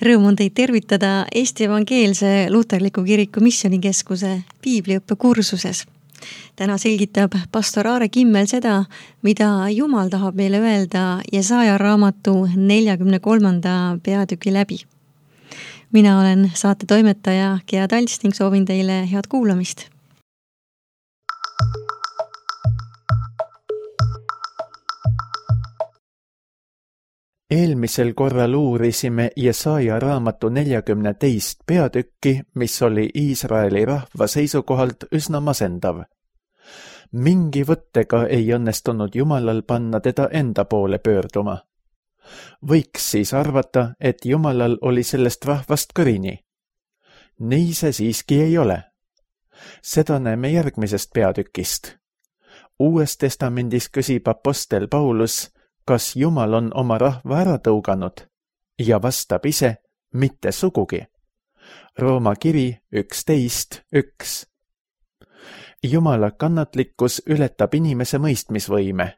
Rõõm on teid tervitada Eesti Evangeelse Luterliku Kiriku Missioonikeskuse piibliõppe kursuses. Täna selgitab pastor Aare Kimmel seda, mida Jumal tahab meile öelda Jesaja raamatu 43. peatüki läbi. Mina olen saate toimetaja Gea Talts ning soovin teile head kuulamist. Eelmisel korral uurisime Jesaja raamatu 42. peatükki, mis oli Iisraeli rahva seisukohalt üsna masendav. Mingi võttega ei õnnestunud Jumalal panna teda enda poole pöörduma. Võiks siis arvata, et Jumalal oli sellest rahvast kõrini. Nii see siiski ei ole. Seda näeme järgmisest peatükist. Uues testamendis küsib apostel Paulus, kas Jumal on oma rahva ära tõuganud, ja vastab ise, mitte sugugi. Rooma kiri 11.1. Jumala kannatlikkus ületab inimese mõistmisvõime.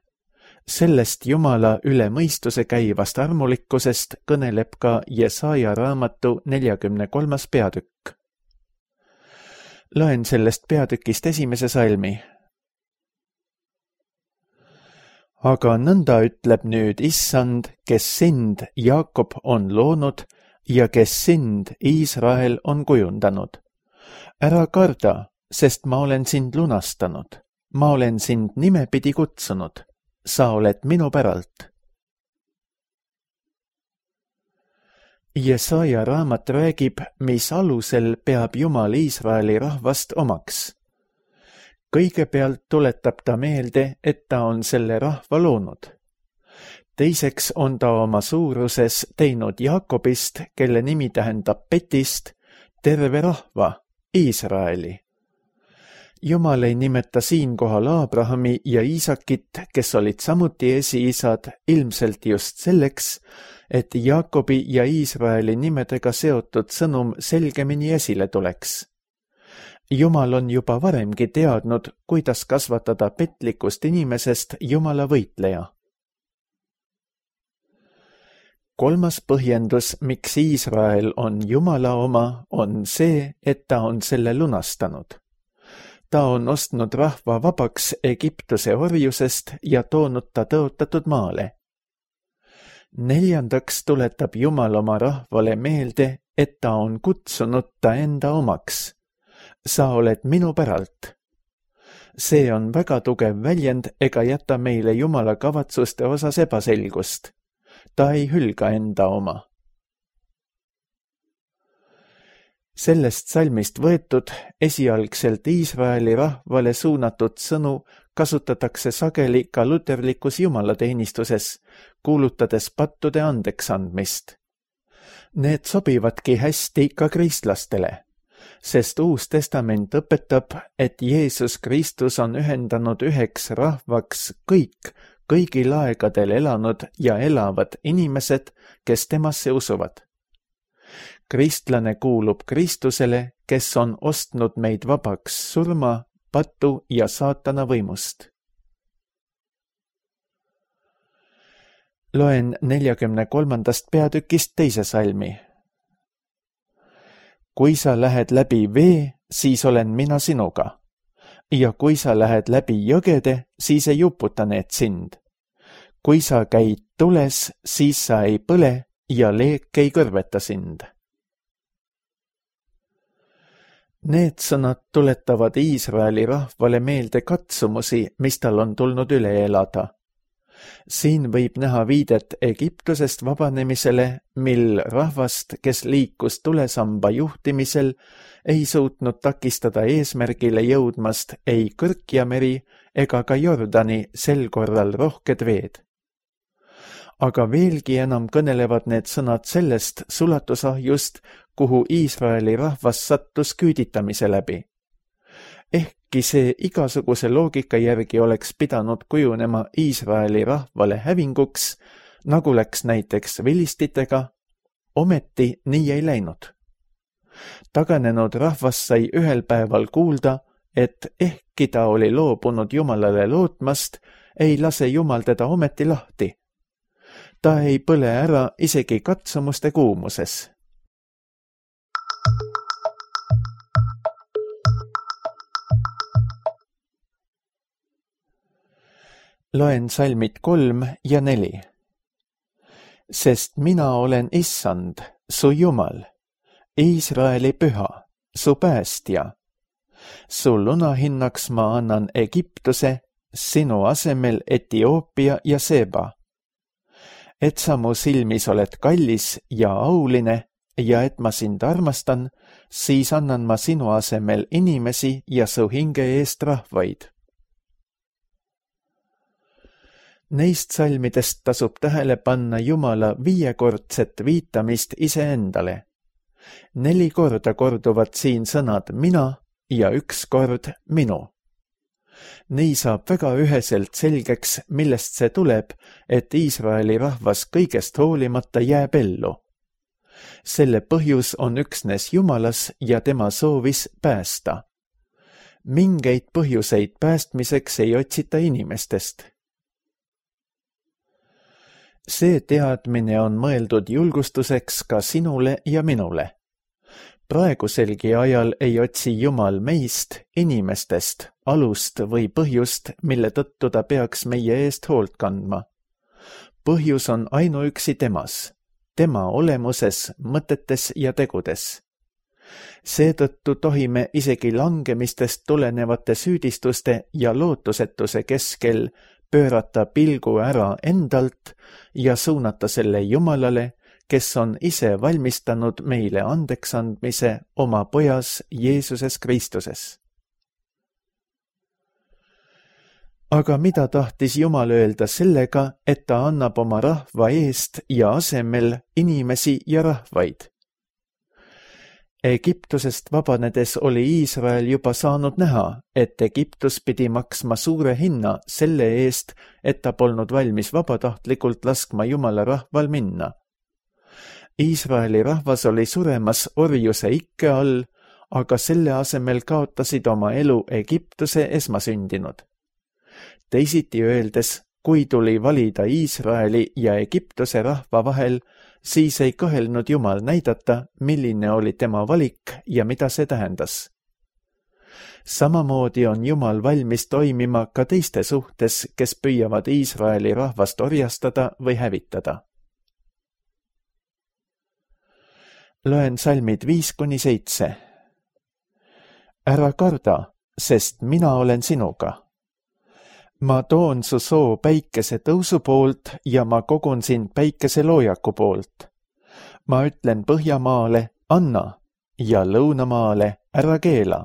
Sellest Jumala üle mõistuse käivast armulikkusest kõneleb ka Jesaja raamatu 43. peatükk. Loen sellest peatükist esimese salmi. Aga nõnda ütleb nüüd Issand, kes sind, Jaakob, on loonud ja kes sind, Iisrael, on kujundanud. Ära karda, sest ma olen sind lunastanud. Ma olen sind nimepidi kutsunud. Sa oled minu päralt. Jesaja raamat räägib, mis alusel peab Jumal Iisraeli rahvast omaks. Kõigepealt tuletab ta meelde, et ta on selle rahva loonud. Teiseks on ta oma suuruses teinud Jaakobist, kelle nimi tähendab petist, terve rahva, Iisraeli. Jumal ei nimeta siinkohal Abrahami ja Iisakit, kes olid samuti esiisad, ilmselt just selleks, et Jaakobi ja Iisraeli nimedega seotud sõnum selgemini esile tuleks. Jumal on juba varemgi teadnud, kuidas kasvatada petlikust inimesest Jumala võitleja. Kolmas põhjendus, miks Iisrael on Jumala oma, on see, et ta on selle lunastanud. Ta on ostnud rahva vabaks Egiptuse orjusest ja toonud ta tõotatud maale. Neljandaks tuletab Jumal oma rahvale meelde, et ta on kutsunud ta enda omaks. Sa oled minu päralt. See on väga tugev väljend ega jäta meile Jumala kavatsuste osas ebaselgust. Ta ei hülga enda oma. Sellest salmist võetud esialgselt Iisraeli rahvale suunatud sõnu kasutatakse sageli ka luterlikus jumalateenistuses, kuulutades pattude andeks andmist. Need sobivadki hästi ka kristlastele. Sest Uus Testament õpetab, et Jeesus Kristus on ühendanud üheks rahvaks kõigil aegadel elanud ja elavad inimesed, kes temasse usuvad. Kristlane kuulub Kristusele, kes on ostnud meid vabaks surma, patu ja saatana võimust. Loen 43. peatükist teise salmi. Kui sa lähed läbi vee, siis olen mina sinuga. Ja kui sa lähed läbi jõgede, siis ei uputa need sind. Kui sa käid tules, siis sa ei põle ja leek ei kõrveta sind. Need sõnad tuletavad Iisraeli rahvale meelde katsumusi, mis tal on tulnud üle elada. Siin võib näha viidet Egiptusest vabanemisele, mil rahvast, kes liikus tulesamba juhtimisel, ei suutnud takistada eesmärgile jõudmast ei Kõrkjameri ega ka Jordani sel korral rohked veed. Aga veelgi enam kõnelevad need sõnad sellest sulatusahjust, kuhu Iisraeli rahvas sattus küüditamise läbi. Ehkki see igasuguse loogika järgi oleks pidanud kujunema Iisraeli rahvale hävinguks, nagu läks näiteks vilistitega, ometi nii ei läinud. Taganenud rahvas sai ühel päeval kuulda, et ehkki ta oli loobunud Jumalale lootmast, ei lase Jumal teda ometi lahti. Ta ei põle ära isegi katsumuste kuumuses. Loen salmid 3 ja 4. Sest mina olen Issand, su Jumal, Iisraeli püha, su päästja. Su lunahinnaks ma annan Egiptuse, sinu asemel Etioopia ja Seba. Et sa mu silmis oled kallis ja auline ja et ma sind armastan, siis annan ma sinu asemel inimesi ja su hinge eest rahvaid. Neist salmidest tasub tähele panna Jumala 5-kordset viitamist iseendale. 4 korda korduvad siin sõnad mina ja 1 kord minu. Nii saab väga üheselt selgeks, millest see tuleb, et Iisraeli rahvas kõigest hoolimata jääb ellu. Selle põhjus on üksnes Jumalas ja tema soovis päästa. Mingeid põhjuseid päästmiseks ei otsita inimestest. See teadmine on mõeldud julgustuseks ka sinule ja minule. Praeguselgi ajal ei otsi Jumal meist, inimestest, alust või põhjust, mille tõttu ta peaks meie eest hoolt kandma. Põhjus on ainuüksi temas, tema olemuses, mõtetes ja tegudes. Seetõttu tohime isegi langemistest tulenevate süüdistuste ja lootusetuse keskel pöörata pilgu ära endalt ja suunata selle Jumalale, kes on ise valmistanud meile andeksandmise oma pojas Jeesuses Kristuses. Aga mida tahtis Jumal öelda sellega, et ta annab oma rahva eest ja asemel inimesi ja rahvaid? Egiptusest vabanedes oli Iisrael juba saanud näha, et Egiptus pidi maksma suure hinna selle eest, et ta polnud valmis vabatahtlikult laskma Jumala rahval minna. Iisraeli rahvas oli suremas orjuse ikke all, aga selle asemel kaotasid oma elu Egiptuse esmasündinud. Teisiti öeldes, kui tuli valida Iisraeli ja Egiptuse rahva vahel, siis ei kõhelnud Jumal näidata, milline oli tema valik ja mida see tähendas. Samamoodi on Jumal valmis toimima ka teiste suhtes, kes püüavad Iisraeli rahvast orjastada või hävitada. Loen salmid 5-7. Ära karda, sest mina olen sinuga. Ma toon su soo päikese tõusu poolt ja ma kogun sind päikese loojaku poolt. Ma ütlen Põhjamaale, anna, ja Lõunamaale, ära keela.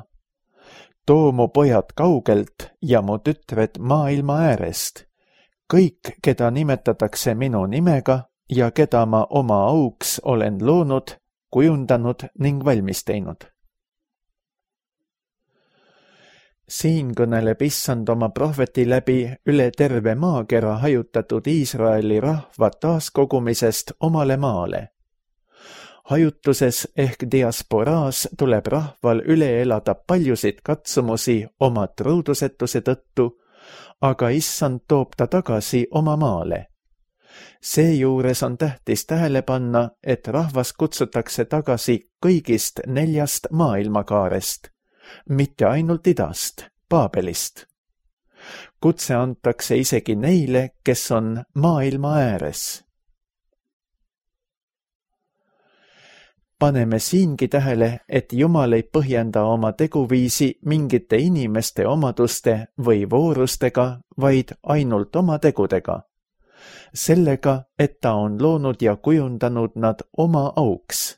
Too mu pojad kaugelt ja mu tütred maailma äärest. Kõik, keda nimetatakse minu nimega ja keda ma oma auks olen loonud, kujundanud ning valmis teinud. Siin kõneleb Issand oma prohveti läbi üle terve maakera hajutatud Iisraeli rahva taaskogumisest omale maale. Hajutuses ehk diasporaas tuleb rahval üle elada paljusid katsumusi oma truudusetuse tõttu, aga Issand toob ta tagasi oma maale. Seejuures on tähtis tähele panna, et rahvas kutsutakse tagasi kõigist 4 maailmakaarest, mitte ainult idast, Paabelist. Kutse antakse isegi neile, kes on maailma ääres. Paneme siingi tähele, et Jumal ei põhjenda oma teguviisi mingite inimeste omaduste või voorustega, vaid ainult oma tegudega. Sellega, et ta on loonud ja kujundanud nad oma auks.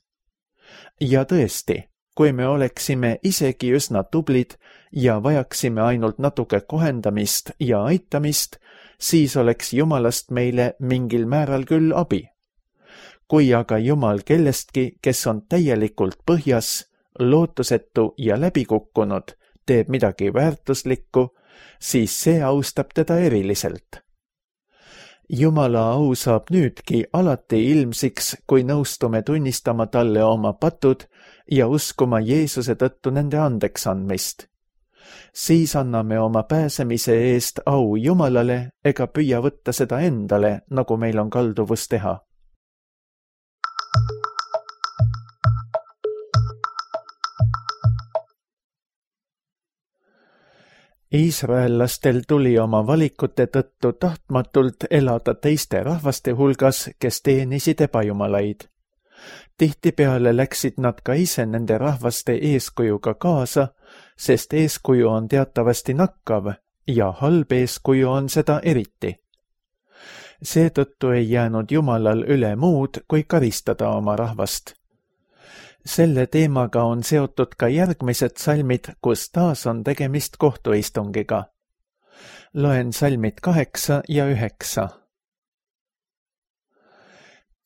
Ja tõesti, kui me oleksime isegi üsna tublid ja vajaksime ainult natuke kohendamist ja aitamist, siis oleks Jumalast meile mingil määral küll abi. Kui aga Jumal kellestki, kes on täielikult põhjas, lootusetu ja läbikukkunud, teeb midagi väärtuslikku, siis see austab teda eriliselt. Jumala au saab nüüdki alati ilmsiks, kui nõustume tunnistama talle oma patud ja uskuma Jeesuse tõttu nende andeks andmist. Siis anname oma pääsemise eest au Jumalale ega püüa võtta seda endale, nagu meil on kalduvus teha. Iisraellastel tuli oma valikute tõttu tahtmatult elada teiste rahvaste hulgas, kes teenisid ebajumalaid. Tihtipeale läksid nad ka ise nende rahvaste eeskujuga kaasa, sest eeskuju on teatavasti nakkav ja halb eeskuju on seda eriti. Seetõttu ei jäänud Jumalal üle muud, kui karistada oma rahvast. Selle teemaga on seotud ka järgmised salmid, kus taas on tegemist kohtuistungiga. Loen salmid 8 ja 9.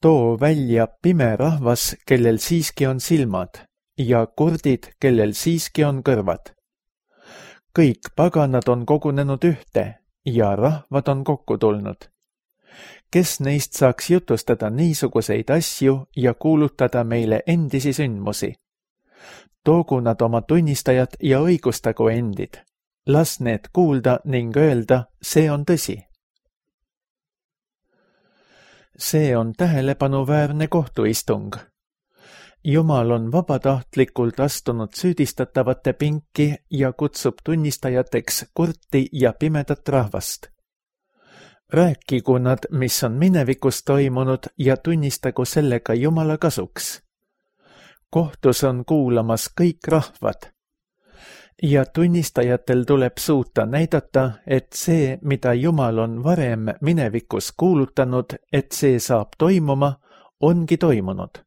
Too välja pime rahvas, kellel siiski on silmad, ja kurdid, kellel siiski on kõrvad. Kõik paganad on kogunenud ühte ja rahvad on kokku tulnud. Kes neist saaks jutustada niisuguseid asju ja kuulutada meile endisi sündmusi? Toogu nad oma tunnistajad ja õigustagu endid. Las need kuulda ning öelda, see on tõsi. See on tähelepanuväärne kohtuistung. Jumal on vabatahtlikult astunud süüdistatavate pinki ja kutsub tunnistajateks kurti ja pimedat rahvast. Rääkigu nad, mis on minevikus toimunud ja tunnistagu sellega Jumala kasuks. Kohtus on kuulamas kõik rahvad. Ja tunnistajatel tuleb suuta näidata, et see, mida Jumal on varem minevikus kuulutanud, et see saab toimuma, ongi toimunud.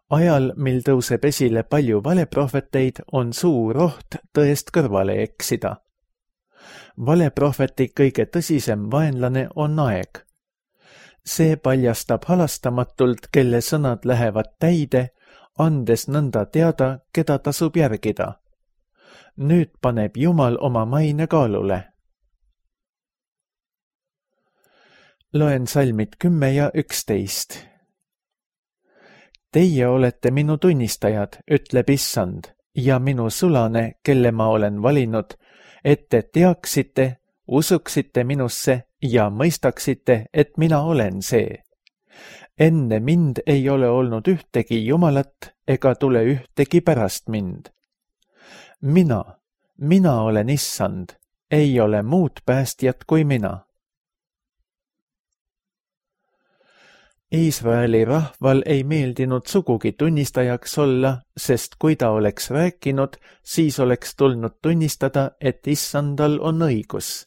Ajal, mil tõuseb esile palju valeprohveteid, on suur oht tõest kõrvale eksida. Valeprohveti kõige tõsisem vaenlane on aeg. See paljastab halastamatult, kelle sõnad lähevad täide, andes nõnda teada, keda tasub järgida. Nüüd paneb Jumal oma maine kaalule. Loen salmid 10 ja 11. Teie olete minu tunnistajad, ütleb Issand, ja minu sulane, kelle ma olen valinud, et te teaksite, usuksite minusse ja mõistaksite, et mina olen see. Enne mind ei ole olnud ühtegi Jumalat ega tule ühtegi pärast mind. Mina olen Issand, ei ole muud päästjat kui mina. Iisraeli rahval ei meeldinud sugugi tunnistajaks olla, sest kui ta oleks rääkinud, siis oleks tulnud tunnistada, et Issandal on õigus.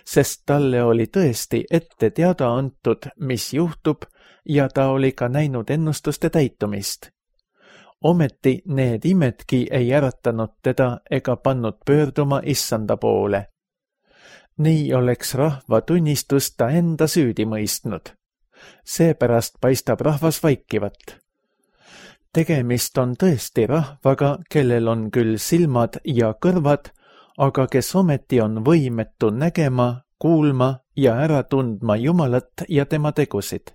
Sest talle oli tõesti ette teada antud, mis juhtub, ja ta oli ka näinud ennustuste täitumist. Ometi need imedki ei äratanud teda ega pannud pöörduma Issanda poole. Nii oleks rahva tunnistus ta enda süüdi mõistnud. Seepärast paistab rahvas vaikivat. Tegemist on tõesti rahvaga, kellel on küll silmad ja kõrvad, aga kes ometi on võimetu nägema, kuulma ja ära tundma Jumalat ja tema tegusid.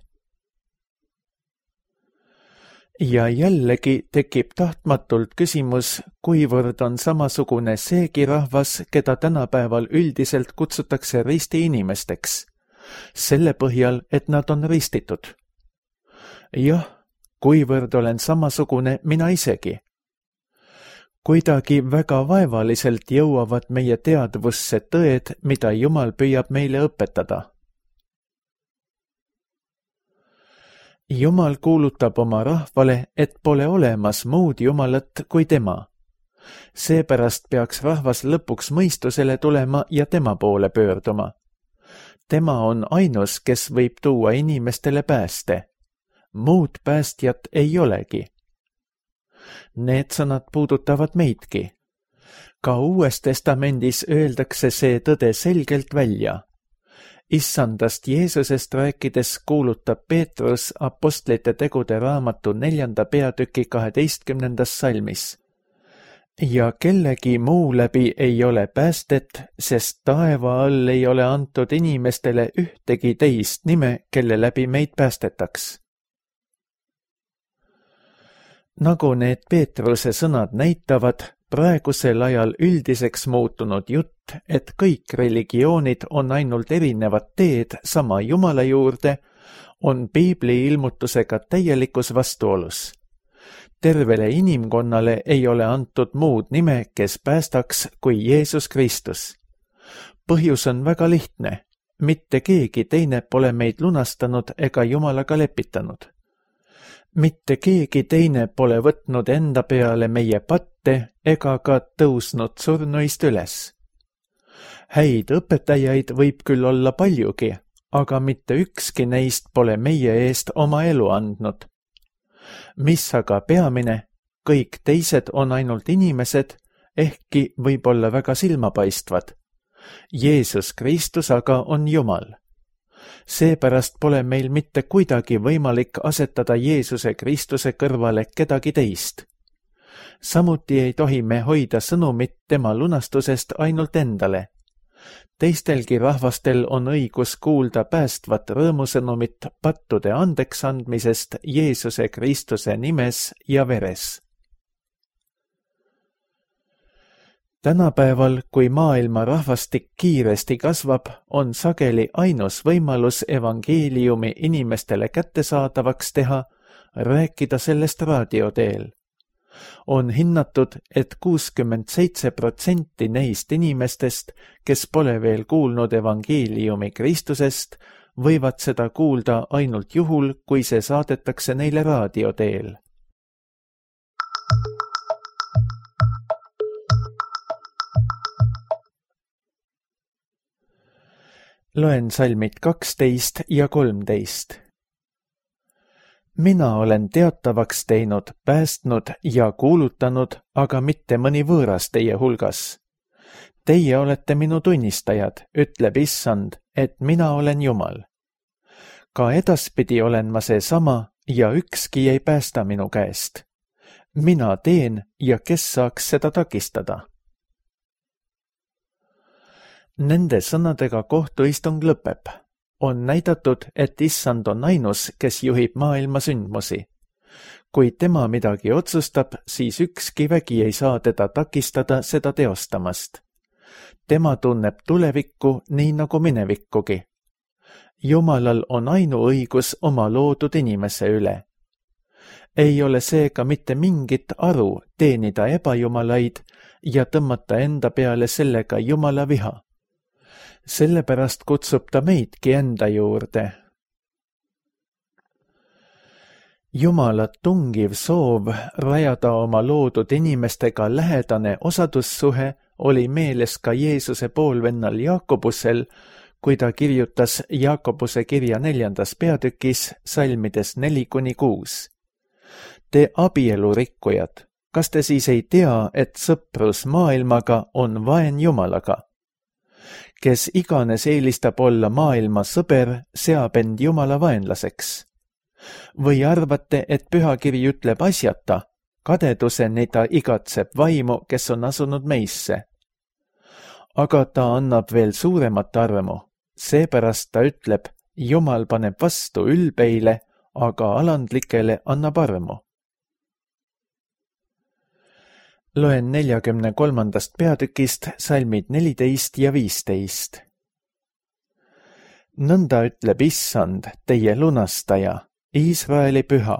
Ja jällegi tekib tahtmatult küsimus, kuivõrd on samasugune seegi rahvas, keda tänapäeval üldiselt kutsutakse risti inimesteks. Selle põhjal, et nad on ristitud. Jah, kuivõrd olen samasugune mina isegi. Kuidagi väga vaevaliselt jõuavad meie teadvusse tõed, mida Jumal püüab meile õpetada. Jumal kuulutab oma rahvale, et pole olemas muud Jumalat kui tema. Seepärast peaks rahvas lõpuks mõistusele tulema ja tema poole pöörduma. Tema on ainus, kes võib tuua inimestele pääste. Muud päästjat ei olegi. Need sõnad puudutavad meidki. Ka Uues Testamendis öeldakse see tõde selgelt välja. Issandast Jeesusest rääkides kuulutab Peetrus Apostlite tegude raamatu 4. peatüki 12. salmis. Ja kellegi muu läbi ei ole päästet, sest taeva all ei ole antud inimestele ühtegi teist nime, kelle läbi meid päästetaks. Nagu need Peetruse sõnad näitavad, praegusel ajal üldiseks muutunud jutt, et kõik religioonid on ainult erinevad teed sama Jumala juurde, on Piibli ilmutusega täielikus vastuolus. tervele inimkonnale ei ole antud muud nime, kes päästaks, kui Jeesus Kristus. Põhjus on väga lihtne. Mitte keegi teine pole meid lunastanud ega Jumalaga lepitanud. Mitte keegi teine pole võtnud enda peale meie patte ega ka tõusnud surnuist üles. Häid õpetajaid võib küll olla paljugi, aga mitte ükski neist pole meie eest oma elu andnud. Mis aga peamine, kõik teised on ainult inimesed, ehkki võib olla väga silmapaistvad. Jeesus Kristus aga on Jumal. Seepärast pole meil mitte kuidagi võimalik asetada Jeesuse Kristuse kõrvale kedagi teist. Samuti ei tohi me hoida sõnumit tema lunastusest ainult endale. Teistelgi rahvastel on õigus kuulda päästvat rõõmusõnumit pattude andeksandmisest Jeesuse Kristuse nimes ja veres. Tänapäeval, kui maailma rahvastik kiiresti kasvab, on sageli ainus võimalus evangeeliumi inimestele kättesaadavaks teha, rääkida sellest raadioteel. On hinnatud, et 67% neist inimestest, kes pole veel kuulnud evangeeliumi Kristusest, võivad seda kuulda ainult juhul, kui see saadetakse neile raadioteel. Loen salmid 12 ja 13. Mina olen teatavaks teinud, päästnud ja kuulutanud, aga mitte mõni võõras teie hulgas. Teie olete minu tunnistajad, ütleb Issand, et mina olen Jumal. Ka edaspidi olen ma seesama ja ükski ei päästa minu käest. Mina teen ja kes saaks seda takistada? Nende sõnadega kohtuistung lõpeb. On näidatud, et Issand on ainus, kes juhib maailma sündmusi. Kui tema midagi otsustab, siis ükski vägi ei saa teda takistada seda teostamast. Tema tunneb tulevikku nii nagu minevikkugi. Jumalal on ainuõigus oma loodud inimese üle. Ei ole seega mitte mingit aru teenida ebajumalaid ja tõmmata enda peale sellega Jumala viha. Sellepärast kutsub ta meidki enda juurde. Jumala tungiv soov rajada oma loodud inimestega lähedane osadussuhe oli meeles ka Jeesuse poolvennal Jaakobusel, kui ta kirjutas Jaakobuse kirja 4. peatükis salmides 4-6. Te abielurikkujad, kas te siis ei tea, et sõprus maailmaga on vaen Jumalaga? Kes iganes eelistab olla maailma sõber, seab end Jumala vaenlaseks. Või arvate, et pühakiri ütleb asjata, kadeduseni ta igatseb vaimu, kes on asunud meisse. Aga ta annab veel suuremat armu, seepärast ta ütleb, Jumal paneb vastu ülbeile, aga alandlikele annab armu. Loen 43. peatükist salmid 14 ja 15. Nõnda ütleb Issand, teie lunastaja, Iisraeli püha.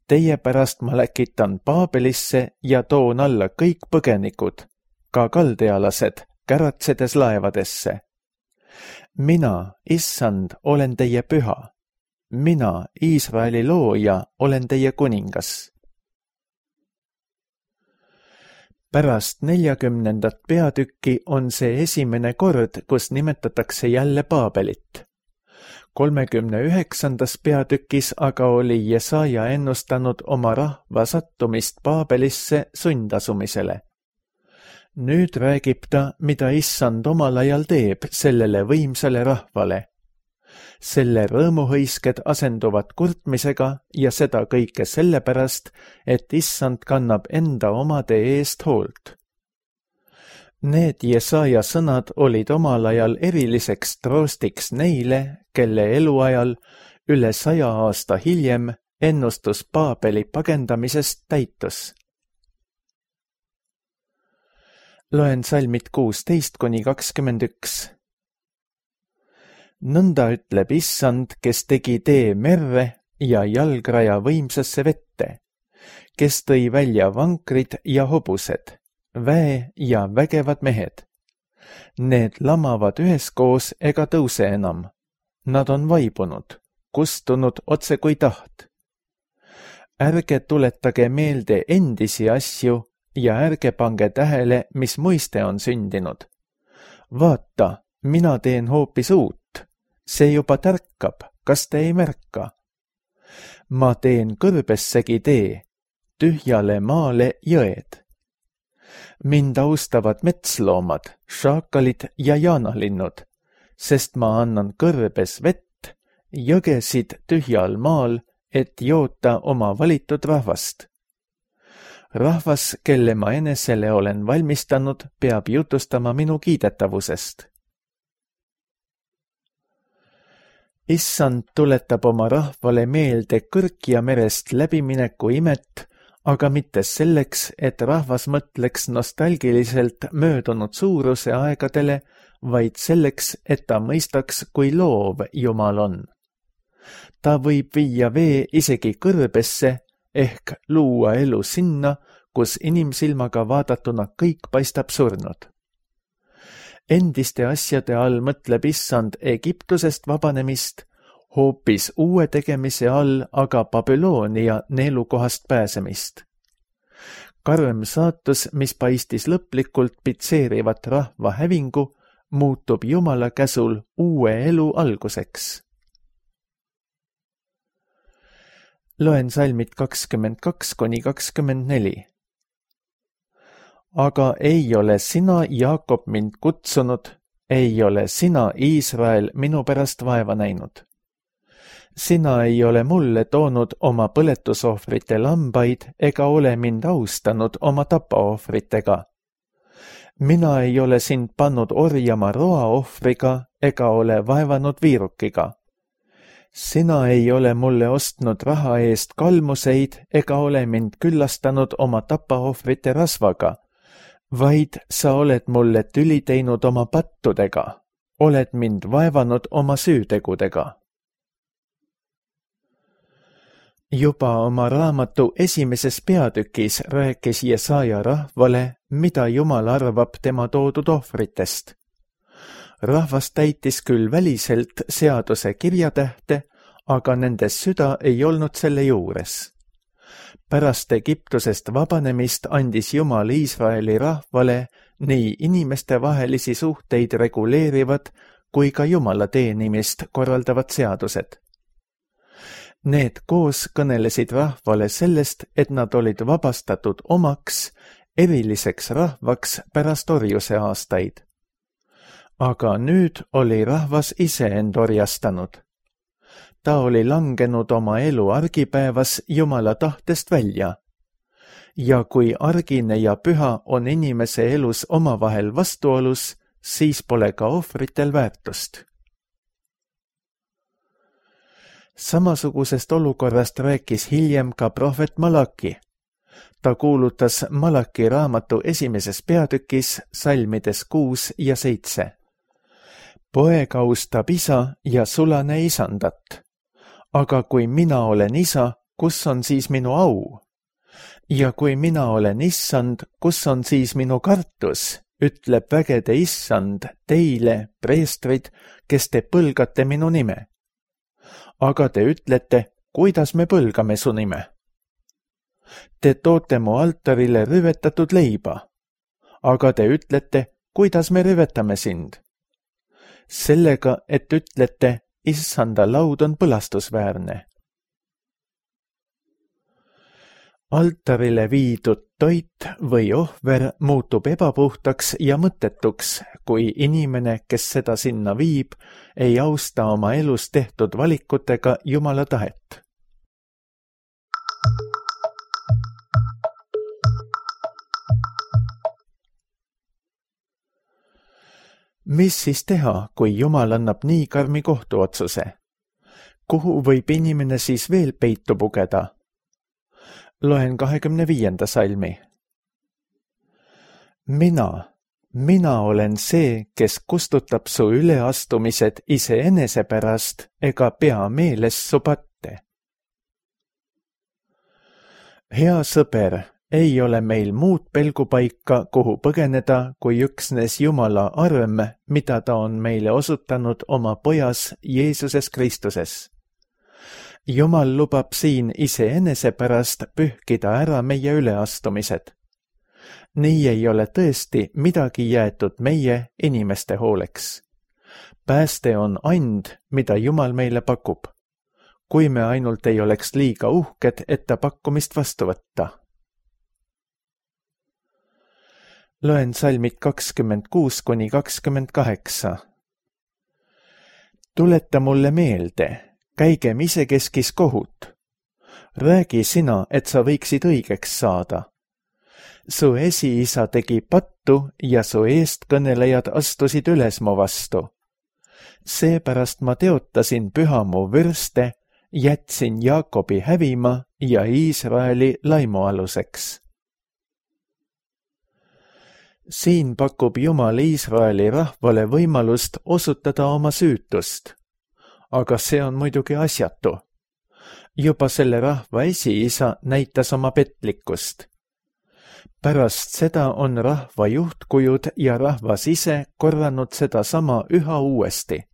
Teie pärast ma läkitan Paabelisse ja toon alla kõik põgenikud, ka kaldealased, käratsedes laevadesse. Mina, Issand, olen teie püha. Mina, Iisraeli looja, olen teie kuningas. Pärast 40. peatükki on see esimene kord, kus nimetatakse jälle Paabelit. 39. peatükis aga oli Jesaja ennustanud oma rahva sattumist Paabelisse sundasumisele. Nüüd räägib ta, mida Issand omal ajal teeb sellele võimsale rahvale. Selle rõõmuhõisked asenduvad kurtmisega ja seda kõike sellepärast, et Issand kannab enda omade eest hoolt. Need Jesaja sõnad olid omal ajal eriliseks troostiks neile, kelle eluajal üle 100 aasta hiljem ennustus Paabeli pagendamisest täitus. Loen salmid 16-21. Nõnda ütleb Issand, kes tegi tee merre ja jalgraja võimsasse vette, kes tõi välja vankrid ja hobused, väe ja vägevad mehed. Need lamavad üheskoos ega tõuse enam. Nad on vaibunud, kustunud otse kui taht. Ärge tuletage meelde endisi asju ja ärge pange tähele, mis muiste on sündinud. Vaata, mina teen hoopis uut. See juba tärkab, kas te ei märka? Ma teen kõrbessegi tee, tühjale maale jõed. Mind austavad metsloomad, šaakalid ja jaanalinnud, sest ma annan kõrbes vett, jõgesid tühjal maal, et joota oma valitud rahvast. Rahvas, kelle ma enesele olen valmistanud, peab jutustama minu kiidetavusest. Issand tuletab oma rahvale meelde Kõrkja merest läbimineku imet, aga mitte selleks, et rahvas mõtleks nostalgiliselt möödunud suuruse aegadele, vaid selleks, et ta mõistaks, kui loov Jumal on. Ta võib viia vee isegi kõrbesse ehk luua elu sinna, kus inimsilmaga vaadatuna kõik paistab surnud. Endiste asjade all mõtleb Issand Egiptusest vabanemist, hoopis uue tegemise all aga Babyloonia neelukohast pääsemist. Karm saatus, mis paistis lõplikult pitseerivat rahva hävingu, muutub Jumala käsul uue elu alguseks. Loen salmid 22–24. Aga ei ole sina, Jaakob, mind kutsunud, ei ole sina, Iisrael, minu pärast vaeva näinud. Sina ei ole mulle toonud oma põletusohvrite lambaid ega ole mind austanud oma tapaohvritega. Mina ei ole sind pannud orjama roaohvriga ega ole vaevanud viirukiga. Sina ei ole mulle ostnud raha eest kalmuseid ega ole mind küllastanud oma tapaohvrite rasvaga, vaid sa oled mulle tüli teinud oma pattudega, oled mind vaevanud oma süütegudega. Juba oma raamatu esimeses peatükis rääkis Jesaja rahvale, mida Jumal arvab tema toodud ohvritest. Rahvas täitis küll väliselt seaduse kirjatähte, aga nende süda ei olnud selle juures. Pärast Egiptusest vabanemist andis Jumal Iisraeli rahvale nii inimestevahelisi suhteid reguleerivad kui ka Jumala teenimist korraldavad seadused. Need koos kõnelesid rahvale sellest, et nad olid vabastatud omaks, eriliseks rahvaks pärast orjuse aastaid. Aga nüüd oli rahvas ise end orjastanud. Ta oli langenud oma elu argipäevas Jumala tahtest välja. Ja kui argine ja püha on inimese elus omavahel vastuolus, siis pole ka ohvritel väärtust. Samasugusest olukorrast rääkis hiljem ka prohvet Malaki. Ta kuulutas Malaki raamatu esimeses peatükis salmides 6 ja 7. Poeg austab isa ja sulane isandat. Aga kui mina olen isa, kus on siis minu au? Ja kui mina olen issand, kus on siis minu kartus, ütleb vägede issand teile, preestrid, kes te põlgate minu nime. Aga te ütlete, kuidas me põlgame su nime? Te toote mu altarile rüvetatud leiba. Aga te ütlete, kuidas me rüvetame sind? Sellega, et ütlete, issanda laud on põlastusväärne. Altarile viidud toit või ohver muutub ebapuhtaks ja mõttetuks, kui inimene, kes seda sinna viib, ei austa oma elus tehtud valikutega Jumala tahet. Mis siis teha, kui Jumal annab nii karmi kohtuotsuse? Kuhu võib inimene siis veel peitu pugeda? Loen 25. salmi. Mina olen see, kes kustutab su üleastumised iseenese pärast ega pea meeles su patte. Hea sõber, ei ole meil muud pelgupaika, kuhu põgeneda, kui üksnes Jumala arm, mida ta on meile osutanud oma pojas Jeesuses Kristuses. Jumal lubab siin iseenese pärast pühkida ära meie üleastumised. Nii ei ole tõesti midagi jäetud meie inimeste hooleks. Pääste on and, mida Jumal meile pakub, kui me ainult ei oleks liiga uhked, et ta pakkumist vastu võtta. Loen salmid 26–28. Tuleta mulle meelde, käigem isekeskis kohut. Räägi sina, et sa võiksid õigeks saada. Su esiisa tegi pattu ja su eestkõnelejad astusid üles mu vastu. Seepärast ma teotasin püha mu vürste, jätsin Jaakobi hävima ja Iisraeli laimualuseks. Siin pakub Jumal Iisraeli rahvale võimalust osutada oma süütust. Aga see on muidugi asjatu. Juba selle rahva esiisa näitas oma petlikkust. Pärast seda on rahva juhtkujud ja rahvas ise korranud seda sama üha uuesti.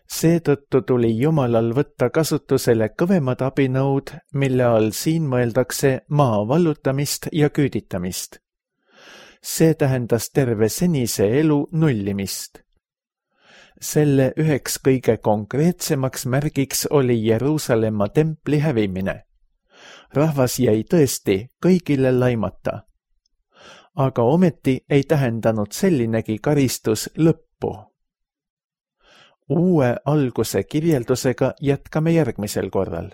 Seetõttu tuli Jumalal võtta kasutusele kõvemad abinõud, mille all siin mõeldakse maa vallutamist ja küüditamist. See tähendas terve senise elu nullimist. Selle üheks kõige konkreetsemaks märgiks oli Jeruusalemma templi hävimine. Rahvas jäi tõesti kõigile laimata. Aga ometi ei tähendanud sellinegi karistus lõppu. Uue alguse kirjeldusega jätkame järgmisel korral.